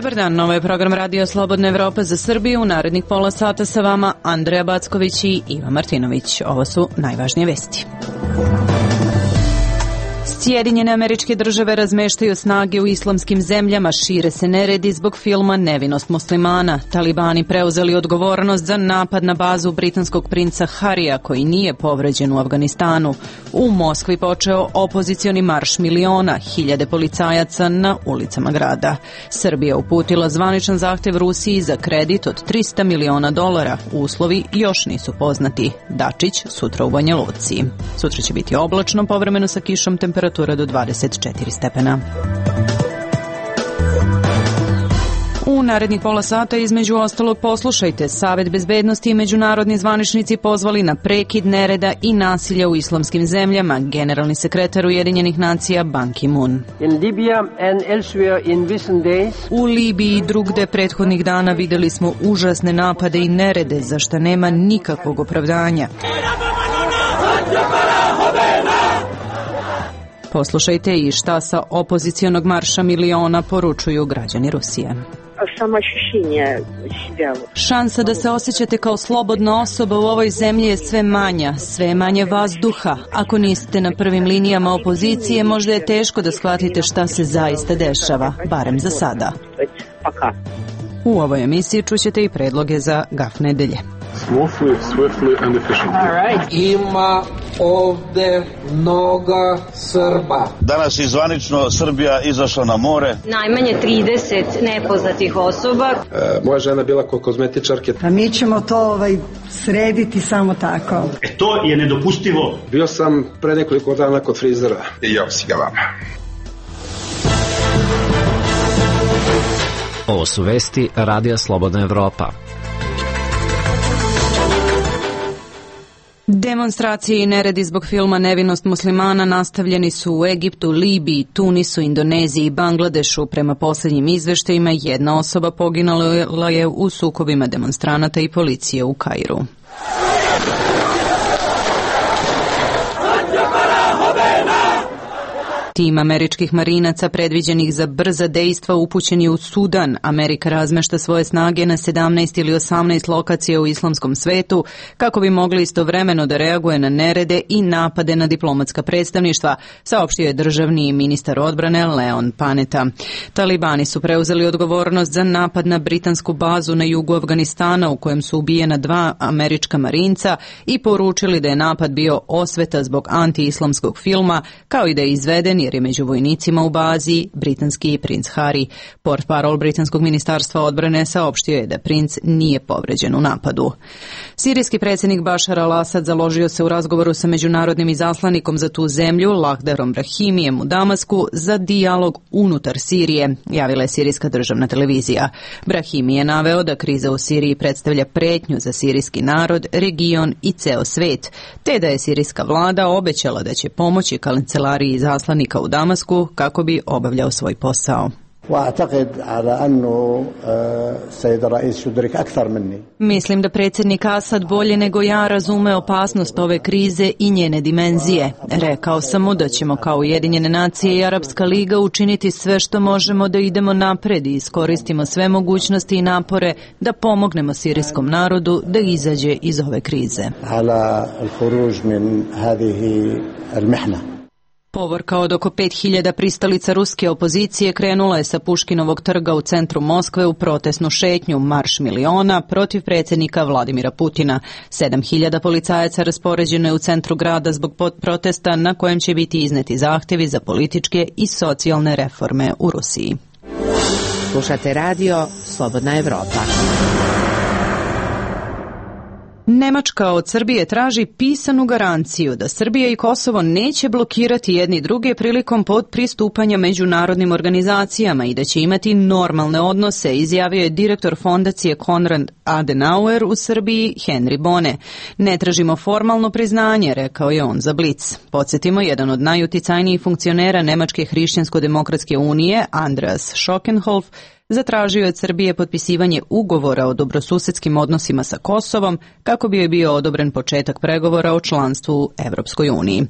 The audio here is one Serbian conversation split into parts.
Dobar dan, ovo je program Radio Slobodna Evropa za Srbiju. U narednih pola sata sa vama Andreja Backović i Iva Martinović. Ovo su najvažnije vesti. Sjedinjene Američke Države razmeštaju snage u islamskim zemljama, šire se neredi zbog filma Nevinost muslimana. Talibani preuzeli odgovornost za napad na bazu britanskog princa Harija, koji nije povređen u Afganistanu. U Moskvi počeo opozicioni marš miliona, hiljade policajaca na ulicama grada. Srbija uputila zvaničan zahtev Rusiji za kredit od $300 miliona. Uslovi još nisu poznati. Dačić sutra u Banja Luci. Sutra će biti oblačno, povremeno sa kišom, temperatura do 24 stepena. U narednih pola sata između ostalog poslušajte. Savet bezbednosti i međunarodni zvaničnici pozvali na prekid nereda i nasilja u islamskim zemljama. Generalni sekretar Ujedinjenih nacija Ban Ki-moon. U Libiji i drugde prethodnih dana videli smo užasne napade i nerede, za šta nema nikakvog opravdanja. Poslušajte i šta sa opozicionog marša miliona poručuju građani Rusije. Šansa da se osjećate kao slobodna osoba u ovoj zemlji je sve manja, sve manje vazduha. Ako niste na prvim linijama opozicije, možda je teško da shvatite šta se zaista dešava, barem za sada. U ovoj emisiji čućete i predloge za gaf nedelje. Swiftly and efficiently. Ima ovde mnogo Srba. Danas je zvanično Srbija izašla na more. Najmanje 30 nepoznatih osoba. Moja žena bila kod kozmetičarke. A mi ćemo to srediti samo tako. To je nedopustivo. Bio sam pre nekoliko dana kod frizera. I ja si ga vama. Ovo su vesti Radija Slobodna Evropa. Demonstracije i neredi zbog filma Nevinost muslimana nastavljeni su u Egiptu, Libiji, Tunisu, Indoneziji i Bangladešu. Prema posljednjim izveštajima, jedna osoba poginula je u sukobima demonstranata i policije u Kairu. Tim američkih marinaca predviđenih za brza dejstva upućen je u Sudan. Amerika razmešta svoje snage na 17 ili 18 lokacija u islamskom svetu kako bi mogli istovremeno da reaguje na nerede i napade na diplomatska predstavništva, saopštio je državni ministar odbrane Leon Panetta. Talibani su preuzeli odgovornost za napad na britansku bazu na jugu Afganistana u kojem su ubijena 2 američka marinca i poručili da je napad bio osveta zbog anti-islamskog filma, kao i da je izveden jer je među vojnicima u bazi britanski princ Harry. Portparol britanskog ministarstva odbrane saopštio je da princ nije povređen u napadu. Sirijski predsjednik Bašar al-Asad založio se u razgovoru sa međunarodnim izaslanikom za tu zemlju, Lahdarom Brahimijem u Damasku, za dijalog unutar Sirije, javila je sirijska državna televizija. Brahimi je naveo da kriza u Siriji predstavlja pretnju za sirijski narod, region i ceo svet, te da je sirijska vlada obećala da će pomoći kancelariji izaslanika u Damasku kako bi obavljao svoj posao. Mislim da predsjednik Asad bolje nego ja razume opasnost ove krize i njene dimenzije. Rekao sam mu da ćemo kao Ujedinjene nacije i Arapska liga učiniti sve što možemo da idemo napred i iskoristimo sve mogućnosti i napore da pomognemo sirijskom narodu da izađe iz ove krize. Povorka od oko 5000 pristalica ruske opozicije krenula je sa Puškinovog trga u centru Moskve u protestnu šetnju Marš miliona protiv predsjednika Vladimira Putina. 7000 policajaca raspoređeno je u centru grada zbog protesta na kojem će biti izneti zahtevi za političke i socijalne reforme u Rusiji. Slušate radio Slobodna Evropa. Nemačka od Srbije traži pisanu garanciju da Srbija i Kosovo neće blokirati jedni druge prilikom pristupanja međunarodnim organizacijama i da će imati normalne odnose, izjavio je direktor fondacije Konrad Adenauer u Srbiji Henry Bone. Ne tražimo formalno priznanje, rekao je on za Blic. Podsjetimo, jedan od najuticajnijih funkcionera Nemačke hrišćansko-demokratske unije, Andreas Schockenhoff, zatražio je od Srbije potpisivanje ugovora o dobrosusedskim odnosima sa Kosovom kako bi joj bio odobren početak pregovora o članstvu u Evropskoj uniji.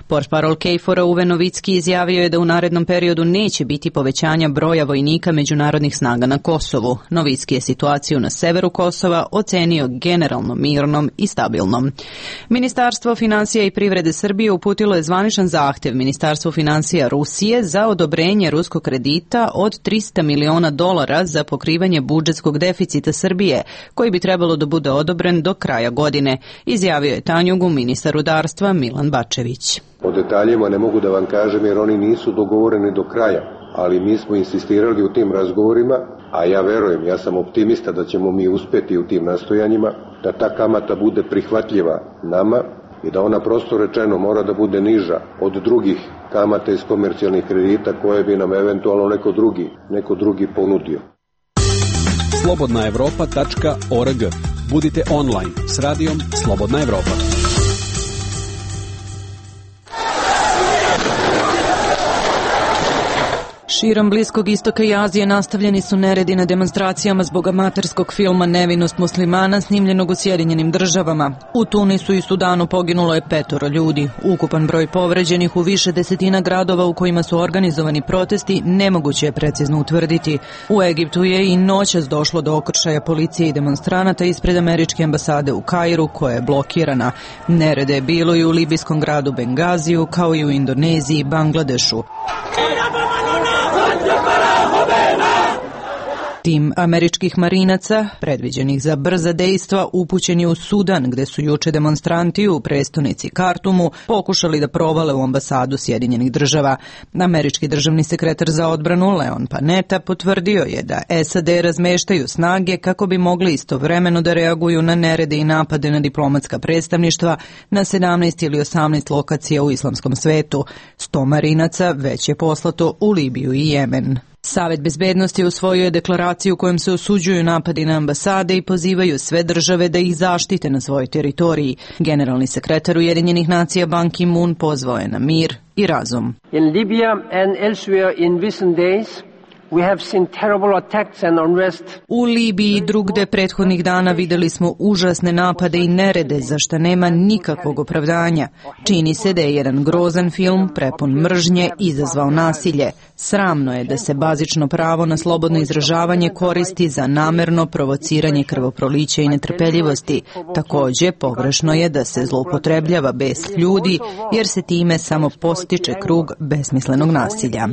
Portparol KFOR-a Uwe Novicki izjavio je da u narednom periodu neće biti povećanja broja vojnika međunarodnih snaga na Kosovu. Novicki je situaciju na severu Kosova ocenio generalno mirnom i stabilnom. Ministarstvo finansija i privrede Srbije uputilo je zvaničan zahtev Ministarstvu finansija Rusije za odobrenje ruskog kredita od $300 miliona za pokrivanje budžetskog deficita Srbije, koji bi trebalo da bude odobren do kraja godine, izjavio je Tanjugu ministar rudarstva Milan Bačević. O detaljima ne mogu da vam kažem jer oni nisu dogovoreni do kraja, ali mi smo insistirali u tim razgovorima, a ja verujem, ja sam optimista da ćemo mi uspeti u tim nastojanjima, da ta kamata bude prihvatljiva nama i da ona prosto rečeno mora da bude niža od drugih kamata iz komercijalnih kredita koje bi nam eventualno neko drugi ponudio. slobodnaevropa.org. Budite online s radijom Slobodna Evropa. Širom Bliskog istoka i Azije nastavljeni su neredi na demonstracijama zbog amaterskog filma Nevinost muslimana snimljenog u Sjedinjenim Državama. U Tunisu i Sudanu poginulo je 5 ljudi. Ukupan broj povređenih u više desetina gradova u kojima su organizovani protesti nemoguće je precizno utvrditi. U Egiptu je i noćas došlo do okršaja policije i demonstranata ispred američke ambasade u Kairu, koja je blokirana. Nerede je bilo i u libijskom gradu Bengaziju, kao i u Indoneziji i Bangladešu. Tim američkih marinaca, predviđenih za brza dejstva, upućen je u Sudan, gde su juče demonstranti u prestonici Kartumu pokušali da provale u ambasadu Sjedinjenih Država. Američki državni sekretar za odbranu Leon Panetta potvrdio je da SAD razmeštaju snage kako bi mogli istovremeno da reaguju na nerede i napade na diplomatska predstavništva na 17 ili 18 lokacija u islamskom svetu. 100 marinaca već je poslato u Libiju i Jemen. Savet bezbednosti usvojio je deklaraciju kojom se osuđuju napadi na ambasade i pozivaju sve države da ih zaštite na svojoj teritoriji. Generalni sekretar Ujedinjenih nacija Ban Ki-moon pozvao je na mir i razum. In Libya and elsewhere in recent days, we have seen terrible attacks and unrest. U Libiji i drugde prethodnih dana videli smo užasne napade i nerede za šta nema nikakvog opravdanja. Čini se da je jedan grozan film prepun mržnje izazvao nasilje. Sramno je da se bazično pravo na slobodno izražavanje koristi za namerno provociranje krvoprolića i netrpeljivosti. Takođe, pogrešno je da se zloupotrebljava bes ljudi, jer se time samo postiče krug besmislenog nasilja.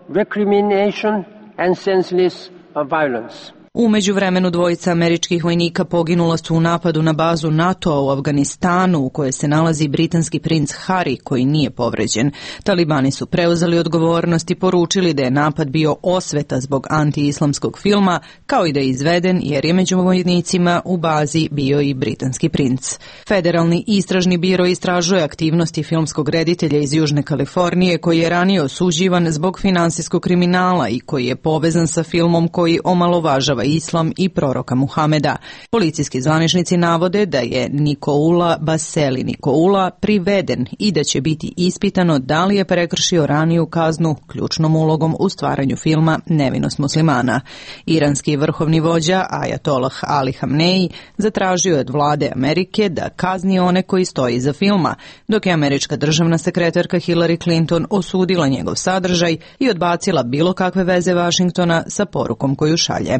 Recrimination and senseless violence. U međuvremenu dvojica američkih vojnika poginula su u napadu na bazu NATO-a u Afganistanu, u kojoj se nalazi britanski princ Harry, koji nije povređen. Talibani su preuzeli odgovornost i poručili da je napad bio osveta zbog anti-islamskog filma, kao i da je izveden jer je među vojnicima u bazi bio i britanski princ. Federalni istražni biro istražuje aktivnosti filmskog reditelja iz Južne Kalifornije, koji je ranije osuđivan zbog finansijskog kriminala i koji je povezan sa filmom koji omalovažava islam i proroka Muhameda. Policijski zvaničnici navode da je Nikoula Baseli Nikoula priveden i da će biti ispitano da li je prekršio raniju kaznu ključnom ulogom u stvaranju filma Nevinost muslimana. Iranski vrhovni vođa Ajatollah Ali Hamneji zatražio je od vlade Amerike da kazni one koji stoji iza filma, dok je američka državna sekretarka Hillary Clinton osudila njegov sadržaj i odbacila bilo kakve veze Vašingtona sa porukom koju šalje.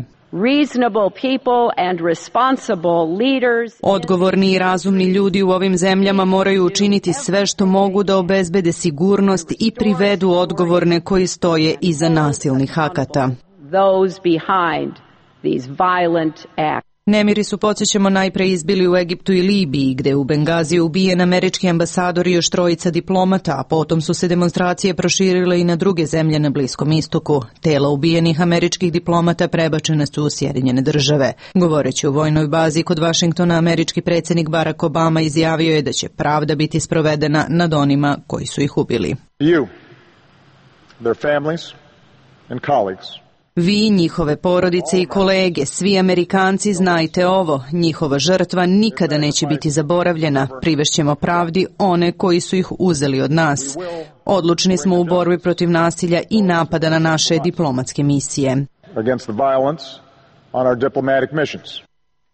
Odgovorni i razumni ljudi u ovim zemljama moraju učiniti sve što mogu da obezbede sigurnost i privedu odgovorne koji stoje iza nasilnih akata. Nemiri su, podsjećamo, najpre izbili u Egiptu i Libiji, gde je u Bengaziju ubijen američki ambasador i još 3 diplomata, a potom su se demonstracije proširile i na druge zemlje na Bliskom istoku. Tela ubijenih američkih diplomata prebačene su u Sjedinjene Države. Govoreći u vojnoj bazi kod Vašingtona, američki predsjednik Barack Obama izjavio je da će pravda biti sprovedena nad onima koji su ih ubili. You, their families and colleagues, Vi, njihove porodice i kolege, svi Amerikanci, znajte ovo, njihova žrtva nikada neće biti zaboravljena. Privešćemo pravdi one koji su ih uzeli od nas. Odlučni smo u borbi protiv nasilja i napada na naše diplomatske misije.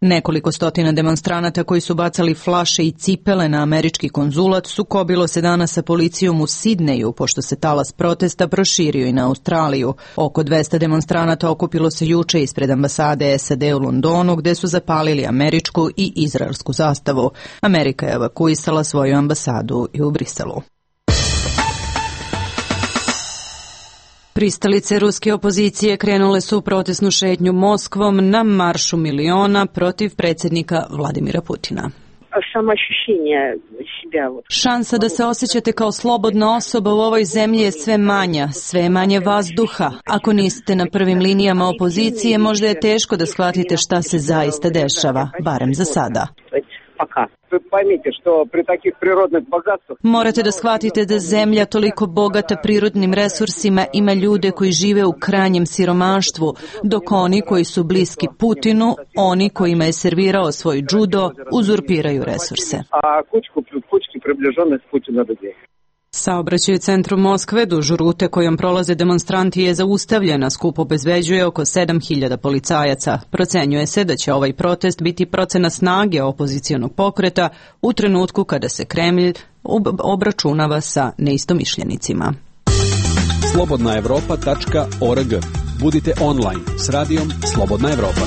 Nekoliko stotina demonstranata koji su bacali flaše i cipele na američki konzulat sukobilo se danas sa policijom u Sidneju, pošto se talas protesta proširio i na Australiju. Oko 200 demonstranata okupilo se juče ispred ambasade SAD u Londonu, gde su zapalili američku i izraelsku zastavu. Amerika je evakuisala svoju ambasadu i u Briselu. Pristalice ruske opozicije krenule su u protestnu šetnju Moskvom na maršu miliona protiv predsjednika Vladimira Putina. Šansa da se osjećate kao slobodna osoba u ovoj zemlji je sve manja, sve manje vazduha. Ako niste na prvim linijama opozicije, možda je teško da shvatite šta se zaista dešava, barem za sada. Morate da shvatite da zemlja toliko bogata prirodnim resursima ima ljude koji žive u krajnjem siromaštvu, dok oni koji su bliski Putinu, oni kojima je servirao svoj džudo, uzurpiraju resurse. Saobraćaj u centru Moskve duž rute kojom prolaze demonstranti je zaustavljena, skup obezbeđuje oko 7.000 policajaca. Procenjuje se da će ovaj protest biti procena snage opozicionog pokreta u trenutku kada se Kremlj obračunava sa neistomišljenicima. slobodnaevropa.org. Budite online s radijom Slobodna Evropa.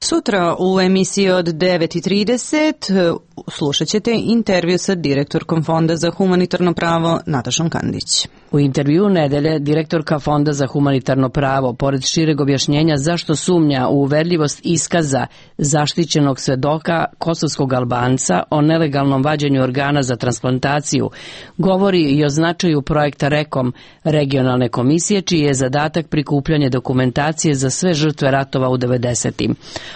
Sutra u emisiji od 9:30 slušat ćete intervju sa direktorkom Fonda za humanitarno pravo Natašom Kandić. U intervju nedelje direktorka Fonda za humanitarno pravo, pored šireg objašnjenja zašto sumnja u uverljivost iskaza zaštićenog svedoka kosovskog Albanca o nelegalnom vađenju organa za transplantaciju, govori i o značaju projekta REKOM, regionalne komisije, čiji je zadatak prikupljanje dokumentacije za sve žrtve ratova u 90-im.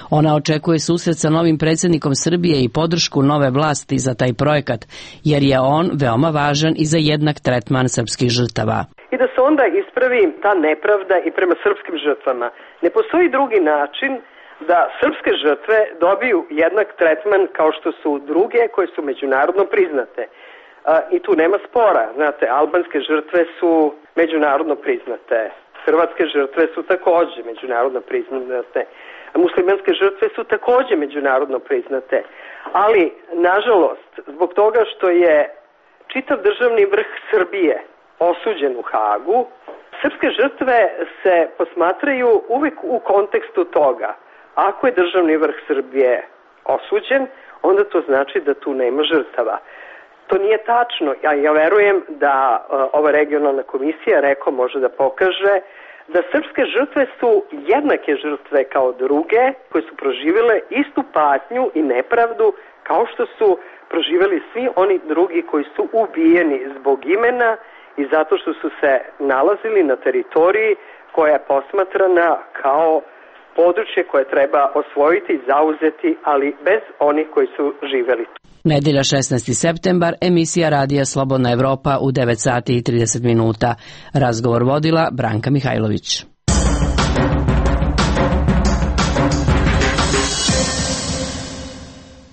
Ona očekuje susret sa novim predsjednikom Srbije i podršku nove vlasti za taj projekat, jer je on veoma važan i za jednak tretman srpskih žrtava. I da se onda ispravi ta nepravda i prema srpskim žrtvama. Ne postoji drugi način da srpske žrtve dobiju jednak tretman kao što su druge koje su međunarodno priznate. I tu nema spora. Znate, albanske žrtve su međunarodno priznate. Hrvatske žrtve su takođe međunarodno priznate. Muslimanske žrtve su takođe međunarodno priznate. Ali, nažalost, zbog toga što je čitav državni vrh Srbije osuđen u Hagu, srpske žrtve se posmatraju uvek u kontekstu toga. Ako je državni vrh Srbije osuđen, onda to znači da tu nema žrtava. To nije tačno. Ja verujem da ova regionalna komisija REKO može da pokaže da srpske žrtve su jednake žrtve kao druge koje su proživjele istu patnju i nepravdu kao što su proživjeli svi oni drugi koji su ubijeni zbog imena i zato što su se nalazili na teritoriji koja je posmatrana kao područje koje treba osvojiti i zauzeti, ali bez onih koji su živjeli tu. Nedelja 16. septembar, emisija Radija Slobodna Evropa u 9:30. Razgovor vodila Branka Mihajlović.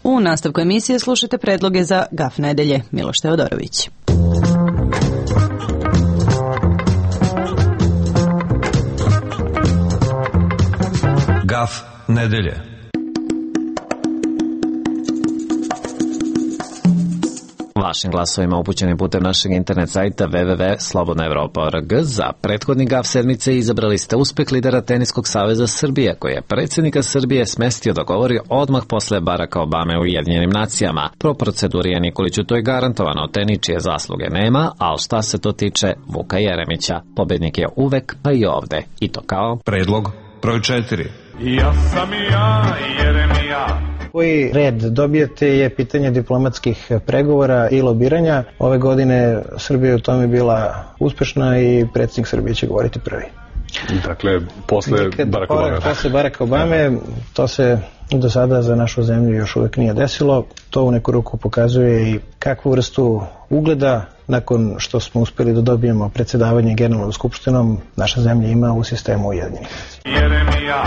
U nastavku emisije slušajte predloge za GAF nedelje. Miloš Teodorović. GAF nedelje. Vašim glasovima upućenim putem našeg internet sajta www.slobodnaevropa.org za prethodni GAF sedmice izabrali ste uspeh lidera Teniskog saveza Srbije, koji je predsjednika Srbije smestio da govori odmah posle Baracka Obame u Ujedinjenim nacijama. Po proceduri je Nikoliću to i garantovano, te ničije zasluge nema, ali šta se to tiče Vuka Jeremića. Pobednik je uvek, pa i ovde. I to kao predlog broj 4. Ja sam ja, Jeremija. Koji red dobijete je pitanje diplomatskih pregovora i lobiranja. Ove godine Srbija u tome bila uspešna i predsjednik Srbije će govoriti prvi. Dakle, posle Baracka Obame. Posle Baracka Obame, to se do sada za našu zemlju još uvek nije desilo. To u neku ruku pokazuje i kakvu vrstu ugleda nakon što smo uspeli da dobijemo predsjedavanje Generalnom skupštinom, naša zemlja ima u sistemu Ujedinjenih nacija.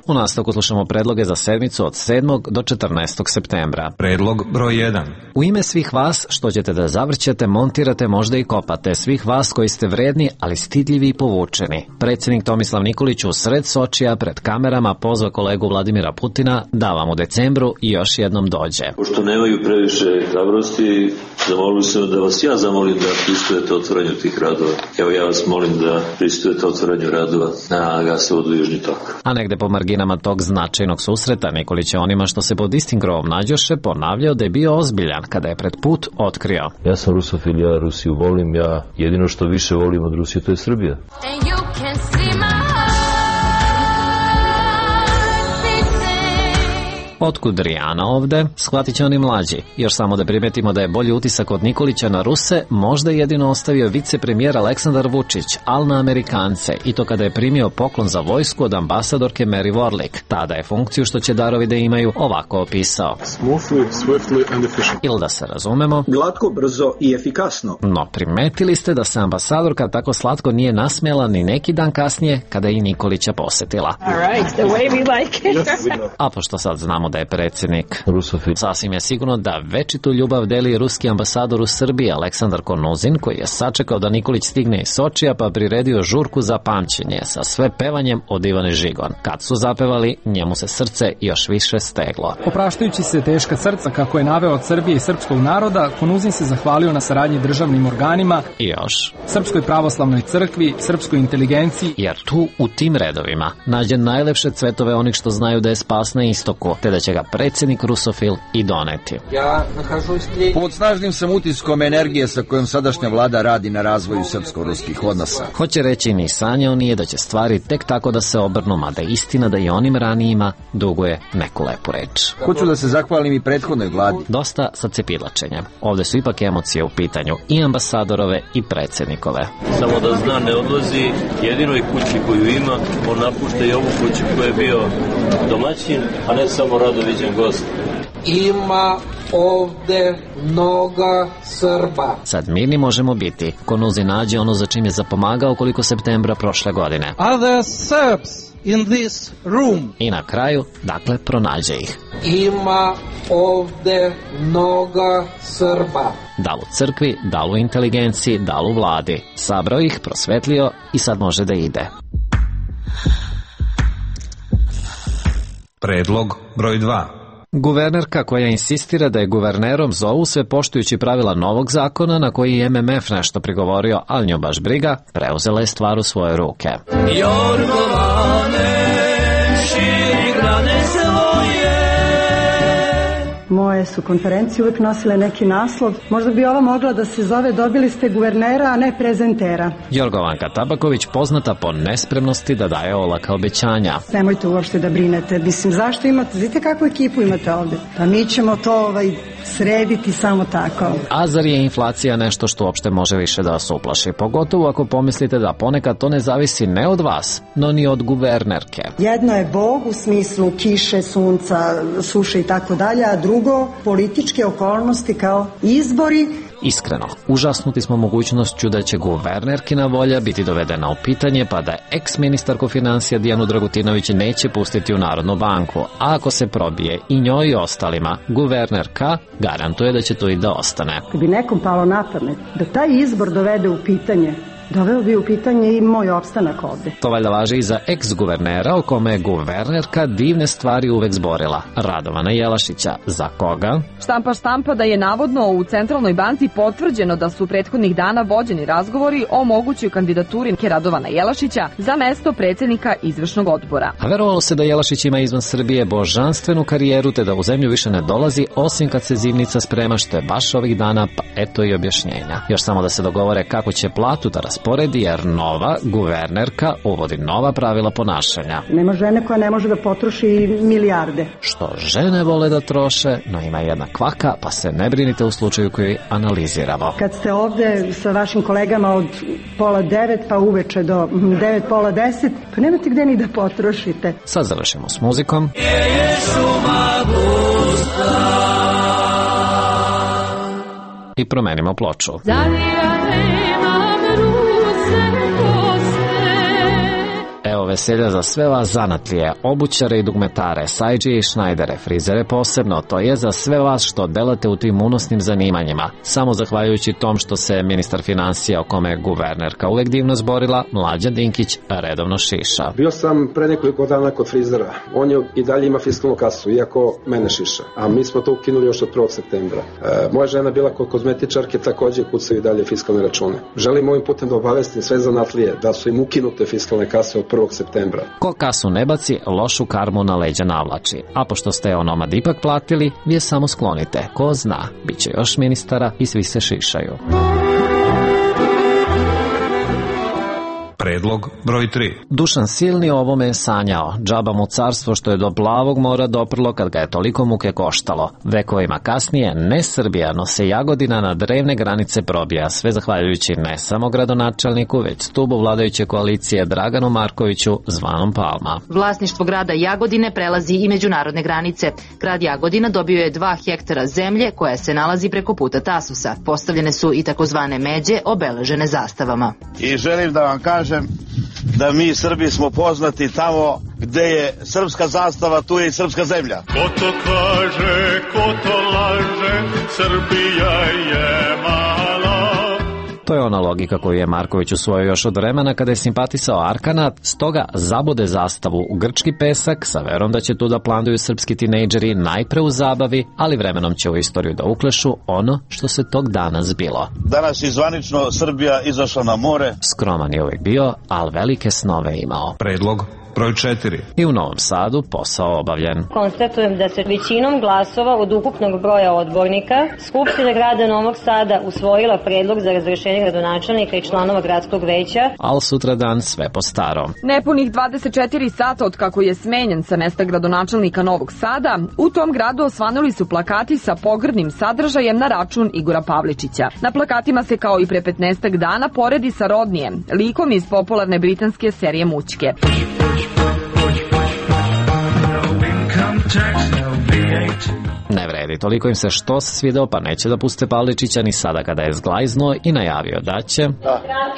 U nastavku slušamo predloge za sedmicu od 7. do 14. septembra. Predlog broj 1. U ime svih vas što ćete da zavrćete, montirate, možda i kopate, svih vas koji ste vredni, ali stidljivi i povučeni. Predsjednik Tomislav Nikolić u sred Sočija pred kamerama pozva kolegu Vladimira Putina da vam u decembru još jednom dođe. Pošto nemaju previše hrabrosti, zamolili su da vas ja zamolim da pristujete otvaranju tih radova. Evo ja vas molim da pristujete otvaranju radova na gasovodu Južni tok. A negde po marginama tog značajnog susreta Nikolić je onima što se pod istim krovom nađoše ponavljao da je bio ozbiljan kada je pred put otkrio. Ja sam rusofil, ja Rusiju volim, ja jedino što više volim od Rusije to je Srbija. Otkud Rijana ovde, shvatit će oni mlađi. Još samo da primetimo da je bolji utisak od Nikolića na Ruse možda jedino ostavio vicepremijer Aleksandar Vučić, al na Amerikance, i to kada je primio poklon za vojsku od ambasadorke Mary Warlick. Tada je funkciju što će darovi da imaju ovako opisao. Smoothly, swiftly and efficient. Ili da se razumemo, glatko, brzo i efikasno. No primetili ste da se ambasadorka tako slatko nije nasmijala ni neki dan kasnije kada je i Nikolića posetila. Right, the way we like it. A pošto sad znamo da je predsjednik rusofil, sasvim je sigurno da večitu ljubav deli ruski ambasador u Srbiji Aleksandar Konuzin, koji je sačekao da Nikolić stigne iz Sočija pa priredio žurku za pamćenje sa sve pevanjem od Ivane Žigon. Kad su zapevali, njemu se srce još više steglo. Opraštajući se teška srca kako je naveo od Srbije i srpskog naroda, Konuzin se zahvalio na saradnji državnim organima i još Srpskoj pravoslavnoj crkvi, srpskoj inteligenciji, jer tu u tim redovima nađe najlepše cvetove onih što znaju da je spas na istoku, te da će ga predsjednik rusofil i doneti. Pod snažnim sam utiskom energije sa kojom sadašnja vlada radi na razvoju srpsko-ruskih odnosa. Hoće reći, ni sanjao nije da će stvari tek tako da se obrnu, mada istina da i onim ranijima duguje neku lepu reč. Hoću da se zahvalim i prethodnoj vladi. Dosta sa cepidlačenjem. Ovde su ipak emocije u pitanju i ambasadorove i predsjednikove. Samo da zna, ne odlazi jedinoj kući koju ima, on napušta i ovu kuću koju je bio domaćin, a ne samo radoviđen gost. Ima ovde mnoga Srba. Sad mirni možemo biti. Konuzin nađe ono za čim je zapomagao koliko septembra prošle godine. Are there Serbs in this room? I na kraju, dakle, pronađe ih. Ima ovde mnoga Srba. Da li u crkvi, da li u inteligenciji, da li u vladi. Sabrao ih, prosvetlio i sad može da ide. Predlog broj 2. Guvernerka koja insistira da je guvernerom zovu sve poštujući pravila novog zakona na koji je MMF nešto prigovorio, ali nju baš briga, preuzela je stvar u svoje ruke. Jorgovane, širi grane svoje. Moje su konferencije uvek nosile neki naslov. Možda bi ova mogla da se zove dobili ste guvernera, a ne prezentera. Jorgovanka Tabaković poznata po nespremnosti da daje olaka obećanja. Nemojte uopšte da brinete. Mislim, zašto imate? Vidite kakvu ekipu imate ovde? Pa mi ćemo to srediti samo tako. A zar je inflacija nešto što uopšte može više da vas uplaši? Pogotovo ako pomislite da ponekad to ne zavisi ne od vas, no ni od guvernerke. Jedno je Bog u smislu kiše, sunca, suše i tako dalje, a drugo političke okolnosti kao izbori. Iskreno, užasnuti smo mogućnošću da će guvernerkina volja biti dovedena u pitanje, pa da ex-ministarko financija Dijanu Dragutinović neće pustiti u Narodnu banku, a ako se probije i njoj i ostalima, guvernerka garantuje da će to i da ostane. Kad bi nekom palo na pamet da taj izbor dovede u pitanje, doveo bi u pitanje i moj opstanak ovde. To valjda važi i za ex-guvernera o kome je guvernerka divne stvari uvek zborila. Radovana Jelašića. Za koga? Štampa da je navodno u Centralnoj banci potvrđeno da su prethodnih dana vođeni razgovori o mogućoj kandidaturi Radovana Jelašića za mesto predsjednika izvršnog odbora. A verovalo se da Jelašić ima izvan Srbije božanstvenu karijeru te da u zemlju više ne dolazi osim kad se zimnica sprema, što je baš ovih dana, pa eto i objašnjenja. Još samo da se dogovore kako će platu da rasporedi, jer nova guvernerka uvodi nova pravila ponašanja. Nema žene koja ne može da potroši milijarde. Što žene vole da troše, no ima jedna kvaka, pa se ne brinite u slučaju koji analiziramo. Kad ste ovde sa vašim kolegama od 8:30 pa uveče do 9:30, pa nemate gde ni da potrošite. Sad završimo s muzikom. i promenimo ploču. Evo veselja za sve vas zanatlije, obućare i dugmetare, sajđije i šnajdere, frizere posebno, to je za sve vas što delate u tim unosnim zanimanjima. Samo zahvaljujući tom što se ministar finansija, o kome je guvernerka uvek divno zborila, Mlađan Dinkić redovno šiša. Bio sam pre nekoliko dana kod frizera. On je i dalje ima fiskalnu kasu, iako mene šiša. A mi smo to ukinuli još od 1. septembra. Moja žena bila kod kozmetičarke, takođe kucaju i dalje fiskalne račune. Želim ovim putem da obavestim sve zanatlije da su im ukinute fiskalne kase od 1. septembra. Ko kasu ne baci, lošu karmu na leđa navlači. A pošto ste onomad ipak platili, vi je samo sklonite. Ko zna, bit će još ministara i svi se šišaju. Predlog broj 3. Dušan Silni o ovome je sanjao. Džaba mu carstvo što je do plavog mora doprlo kad ga je toliko muke koštalo. Vekovima kasnije, ne Srbija, no se Jagodina na drevne granice probija, sve zahvaljujući ne samo gradonačelniku, već stubu vladajuće koalicije Draganu Markoviću, zvanom Palma. Vlasništvo grada Jagodine prelazi i međunarodne granice. Grad Jagodina dobio je 2 hektara zemlje koja se nalazi preko puta Tasusa. Postavljene su i takozvane međe obeležene zastavama. I želim da vam kažem da mi Srbi smo poznati tamo gde je srpska zastava, tu je i srpska zemlja. Ko to kaže, ko to laže, Srbija je mala. To je ona logika koju je Marković usvojio još od vremena kada je simpatisao Arkanat, stoga zabude zastavu u grčki pesak sa verom da će tu da planduju srpski tinejdžeri najpre u zabavi, ali vremenom će u istoriju da uklešu ono što se tog dana zbilo. Danas je zvanično Srbija izašla na more. Skroman je uvijek bio, ali velike snove imao. Predlog broj 4. I u Novom Sadu posao obavljen. Konstatujem da se većinom glasova od ukupnog broja odbornika Skupština grada Novog Sada usvojila predlog za razrešenje gradonačelnika i članova gradskog veća. Al sutradan sve po starom. Nepunih 24 sata od kako je smenjen sa mesta gradonačelnika Novog Sada, u tom gradu osvanuli su plakati sa pogrdnim sadržajem na račun Igora Pavličića. Na plakatima se kao i pre 15 dana poredi sa Rodnijem, likom iz popularne britanske serije Mućke. Ne vredi, toliko im se što se svideo pa neće da puste Pavličića ni sada kada je zglajznuo i najavio da će...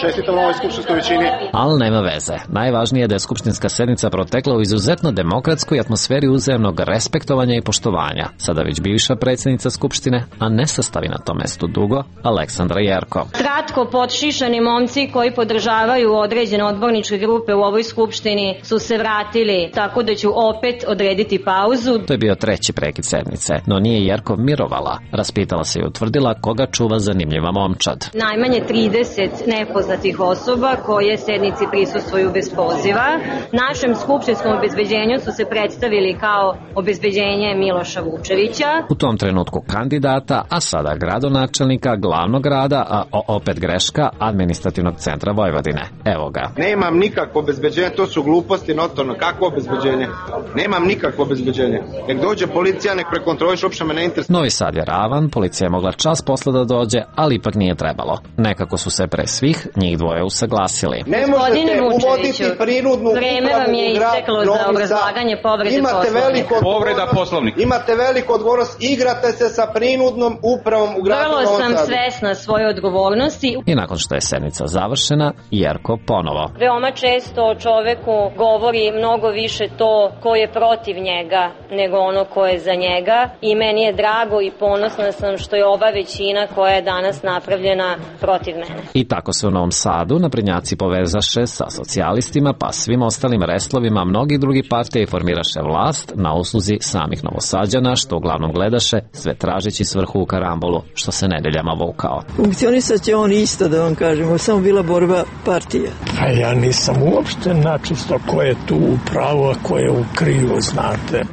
Čestitam ovoj skupštinskoj većini. Ali nema veze. Najvažnije je da je skupštinska sednica protekla u izuzetno demokratskoj atmosferi uzajamnog respektovanja i poštovanja. Sada već bivša predsjednica skupštine, a ne sastavi na tom mestu dugo, Aleksandra Jerkov. Kratko podšišani momci koji podržavaju određene odborničke grupe u ovoj skupštini su se vratili, tako da ću opet odrediti pauzu. To je bio 3. prekid sednice, no nije Jerkov mirovala. Raspitala se i utvrdila koga čuva zanimljiva momčad. Najmanje 30 nepoznatih osoba koje sednici prisustvuju bez poziva. Našem skupštinskom obezbeđenju su se predstavili kao obezbeđenje Miloša Vučevića. U tom trenutku kandidata, a sada gradonačelnika glavnog grada, a opet greška, administrativnog centra Vojvodine. Evo ga. Nemam nikakvo obezbeđenje, to su gluposti notorno. Kakvo obezbeđenje? Nemam nikakvo obezbeđenje. Nek dođe policija, nek prekontroliš, uopšte me ne interesuje. Novi Sad je ravan, policija je mogla čas posle da dođe, ali ipak nije trebalo. Nekako su se pre svih njih dvoje usaglasili. Ne možete uvoditi prinudnu vreme vam je isteklo za obrazlaganje povrede Poslovnika. Povreda Poslovnika. Imate veliku odgovornost, igrate se sa prinudnom upravom u gradu Novom Sadu. Vrlo sam svesna svoje odgovornosti. I nakon što je sednica završena, Jerko ponovo. Veoma često o čoveku govori mnogo više to ko je protiv njega nego ono ko je za njega i meni je drago i ponosna sam što je ova većina koja je danas napravljena protiv mene. I tako se u Novom Sadu naprednjaci povezaše sa socijalistima pa svim ostalim reslovima mnogi drugi partija i formiraše vlast na usluzi samih Novosađana što uglavnom gledaše sve tražeći svrhu u karambolu što se nedeljama vukao. Funkcionisat će on isto da vam kažemo, samo bila borba partija. A ja nisam uopšte načisto ko je tu u pravu, a ko je u krivu, znate.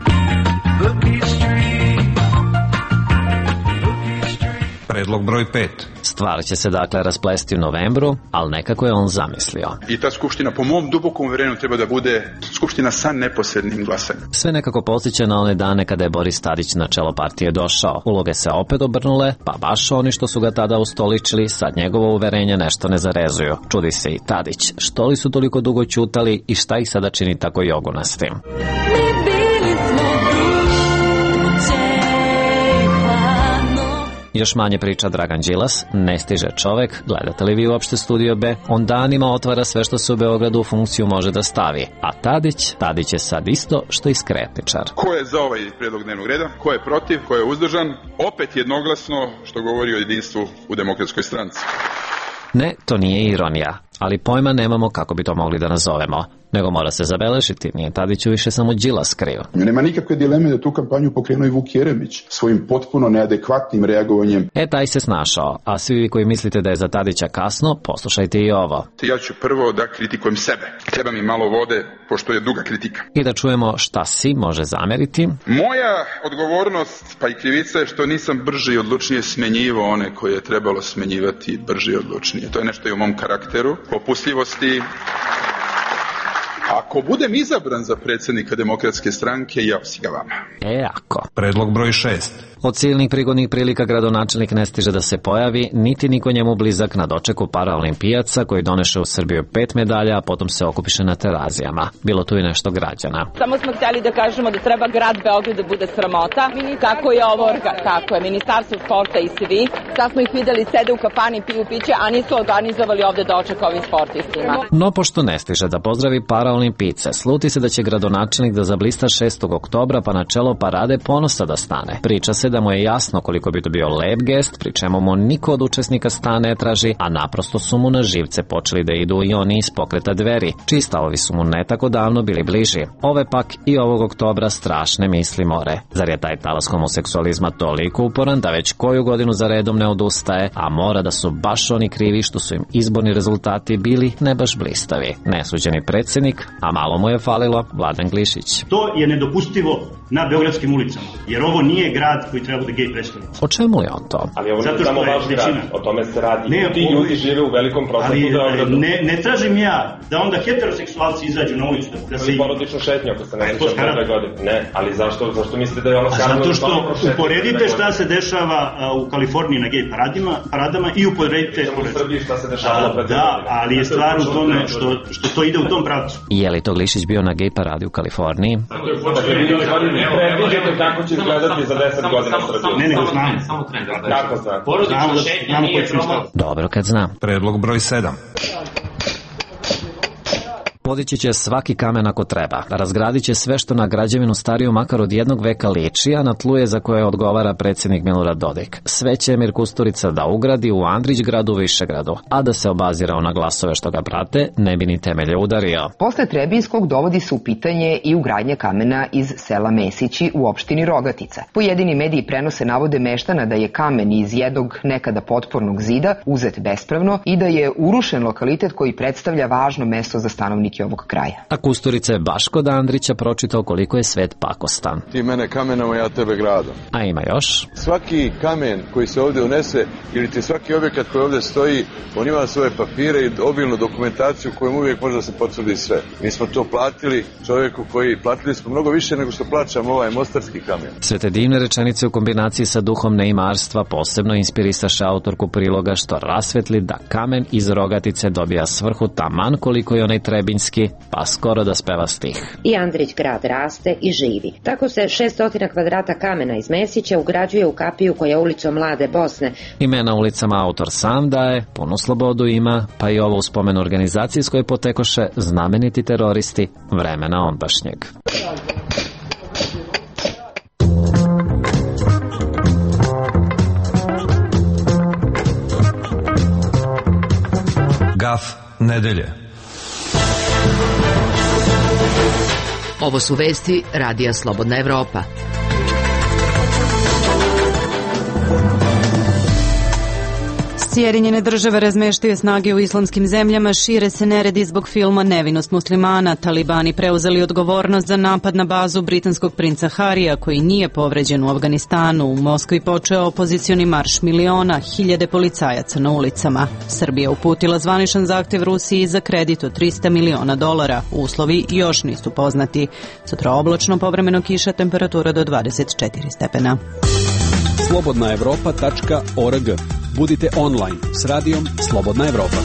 Predlog broj 5. Stvar će se dakle rasplesti u novembru, ali nekako je on zamislio. I ta skupština, po mom dubokom uvjerenju, treba da bude skupština sa neposrednim glasanjem. Sve nekako podsjeća na one dane kada je Boris Tadić na čelo partije došao. Uloge se opet obrnule, pa baš oni što su ga tada ustoličili, sad njegovo uverenje nešto ne zarezuju. Čudi se i Tadić, što li su toliko dugo ćutali i šta ih sada čini tako jogunastim. Još manje priča Dragan Đilas, ne stiže čovek, gledate li vi uopšte Studio B? On danima otvara sve što se u Beogradu u funkciju može da stavi. A Tadić je sad isto što i skretničar. Ko je za ovaj predlog dnevnog reda? Ko je protiv? Ko je uzdržan? Opet jednoglasno, što govori o jedinstvu u Demokratskoj stranci. Ne, to nije ironija, ali pojma nemamo kako bi to mogli da nazovemo. Nego mora se zabeležiti, nije Tadiću više samo Đilas kriv. Nema nikakve dileme da tu kampanju pokrenuo i Vuk Jeremić svojim potpuno neadekvatnim reagovanjem. Taj se snašao, a svi vi koji mislite da je za Tadića kasno, poslušajte i ovo. Ja ću prvo da kritikujem sebe. Treba mi malo vode, pošto je duga kritika. I da čujemo šta si može zameriti. Moja odgovornost, pa i krivica je što nisam brže i odlučnije smenjivao one koje je trebalo smenjivati brže i odlučnije. To je nešto i u mom karakteru, popustljivosti. Ako budem izabran za predsjednika Demokratske stranke, ja si ga vama. Ako. Predlog broj 6. Od silnih prigodnih prilika gradonačelnik ne stiže da se pojavi, niti niko njemu blizak na dočeku paraolimpijaca koji doneše u Srbiju 5 medalja, a potom se okupiše na Terazijama. Bilo tu i nešto građana. Samo smo htjeli da kažemo da treba grad Beograd da bude sramota. Kako je ovo, kako je, Ministarstvo sporta i svi. Sad smo ih videli, sede u kafani, piju piće, a nisu organizovali ovde doček ovim sportistima. No, pošto ne stiže da pozdravi paraolimpijce, sluti se da će gradonačelnik da zablista 6. oktobra pa na čelo parade ponosa da stane. Priča se da mu je jasno koliko bi to bio lep gest, pri čemu mu niko od učesnika sta ne traži, a naprosto su mu na živce počeli da idu i oni iz pokreta Dveri, čiji stavovi su mu ne tako davno bili bliži. Ove pak i ovog oktobra strašne misli more. Zar je taj talas homoseksualizma toliko uporan da već koju godinu za redom ne odustaje, a mora da su baš oni krivi što su im izborni rezultati bili ne baš blistavi. Nesuđeni predsjednik, a malo mu je falilo, Vladan Glišić. To je nedopustivo na beogradskim ulicama, jer ovo nije grad koji treba da gej predstavlja. O čemu je on to? Ali ovo je samo vaš grad, o tome se radi. Ti ljudi žive u velikom procentu Beogradu. Ne tražim ja da onda heteroseksualci izađu na ulicu. Da se porodično šetnju, ako se ne sjeća prve godine. Ne, ali zašto mislite da je ono skarno? Zato što uporedite šta se dešava u Kaliforniji na gej paradama i uporedite... U Srbiji šta se dešavalo pred da, ali je stvar u tome što to ide u tom pravcu. Je li to Glišić bio na gej paradi u Kaliforniji? Predviđate kako će izgledati za 10 godina Srbije. Ne, znamo. Samo trend. Kako znam? Znamo koji ćemo staviti. Dobro kad znam. Predlog broj 7. Podići će svaki kamen ako treba. Razgradit će sve što na građevinu stariju makar od jednog veka liči, a na tlu je za koje odgovara predsjednik Milorad Dodik. Sve će Emir Kusturica da ugradi u Andrićgradu, Višegradu, a da se obazirao na glasove što ga prate, ne bi ni temelje udario. Posle Trebinskog dovodi se u pitanje i ugradnja kamena iz sela Mesići u opštini Rogatica. Pojedini mediji prenose navode meštana da je kamen iz jednog nekada potpornog zida uzet bespravno i da je urušen lokalitet koji predstavlja važno mesto za stanovnike ovog kraja. A Kusturica je baš kod Andrića pročitao koliko je svet pakostan. Ti mene kamenom, ja tebe gradom. A ima još? Svaki kamen koji se ovdje unese ili ti svaki objekat koji ovdje stoji, on ima svoje papire i obilnu dokumentaciju kojom uvijek može da se potvrdi sve. Mi smo to platili čovjeku platili smo mnogo više nego što plaćamo ovaj mostarski kamen. Sve te divne rečenice u kombinaciji sa duhom neimarstva posebno inspirisaše autorku priloga što rasvetli da kamen iz Rogatice dobija svrhu taman koliko i onaj Trebinski, pa skoro da speva stih. I Andrić grad raste i živi. Tako se 600 kvadrata kamena iz Mesića ugrađuje u kapiju koja je ulicom Mlade Bosne. Imena ulicama autor sam daje, punu slobodu ima, pa i ovo u spomen organizaciji s koje potekoše znameniti teroristi vremena ondašnjeg. Gaf nedelje. Ovo su vesti Radija Slobodna Evropa. Sjedinjene države razmeštaju snage u islamskim zemljama, šire se neredi zbog filma Nevinost muslimana. Talibani preuzeli odgovornost za napad na bazu britanskog princa Harija, koji nije povređen u Afganistanu. U Moskvi počeo opozicioni marš miliona, hiljade policajaca na ulicama. Srbija uputila zvaničan zahtev Rusiji za kredit od $300 miliona. Uslovi još nisu poznati. Sutra oblačno, povremeno kiša, temperatura do 24 stepena. slobodnaevropa.org. Budite online s radijom Slobodna Evropa.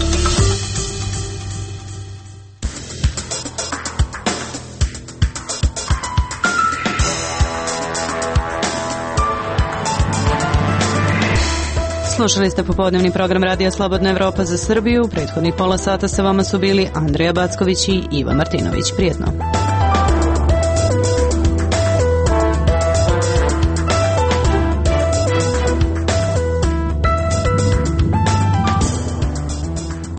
Slušali ste popodnevni program Radija Slobodna Evropa za Srbiju. Prethodnih pola sata sa vama su bili Andreja Backović i Iva Martinović. Prijetno.